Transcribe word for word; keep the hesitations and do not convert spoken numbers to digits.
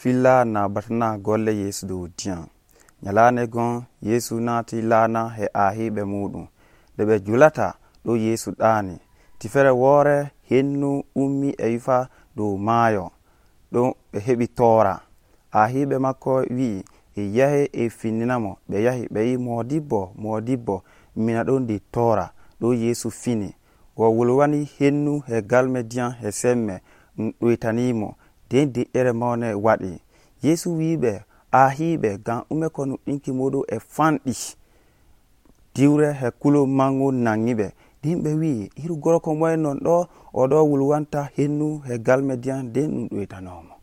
filla na batana golle Yesu dow diyam. Nyalande gon Yesu naati laana he ahiɓe muɗum nde ɓe julata ɗo Yesu ɗaani. Tifere woore hennu ummi e wifa dow maayo ɗo ɓe heɓi toora. Ahiɓe makko wi'i e yahe e finninamo. Ɓe yahi ɓe yi modibbo modibbo mina ɗon ndi toora ɗo Yesu fini. O wulwani hennu he galme diyam he semme ɗum ɗoytanimo den deƴƴere mawne waɗi. Yesu wiɓe ahiɓe gam ume ko nuɗɗinki muɗum e fanɗi. Diwre he kulo mangu nangiɓe. Din ɓe wi hiru gorko moye non ɗo o ɗo wulwanta hennu he galme diyam den ɗum ɗoytanomo.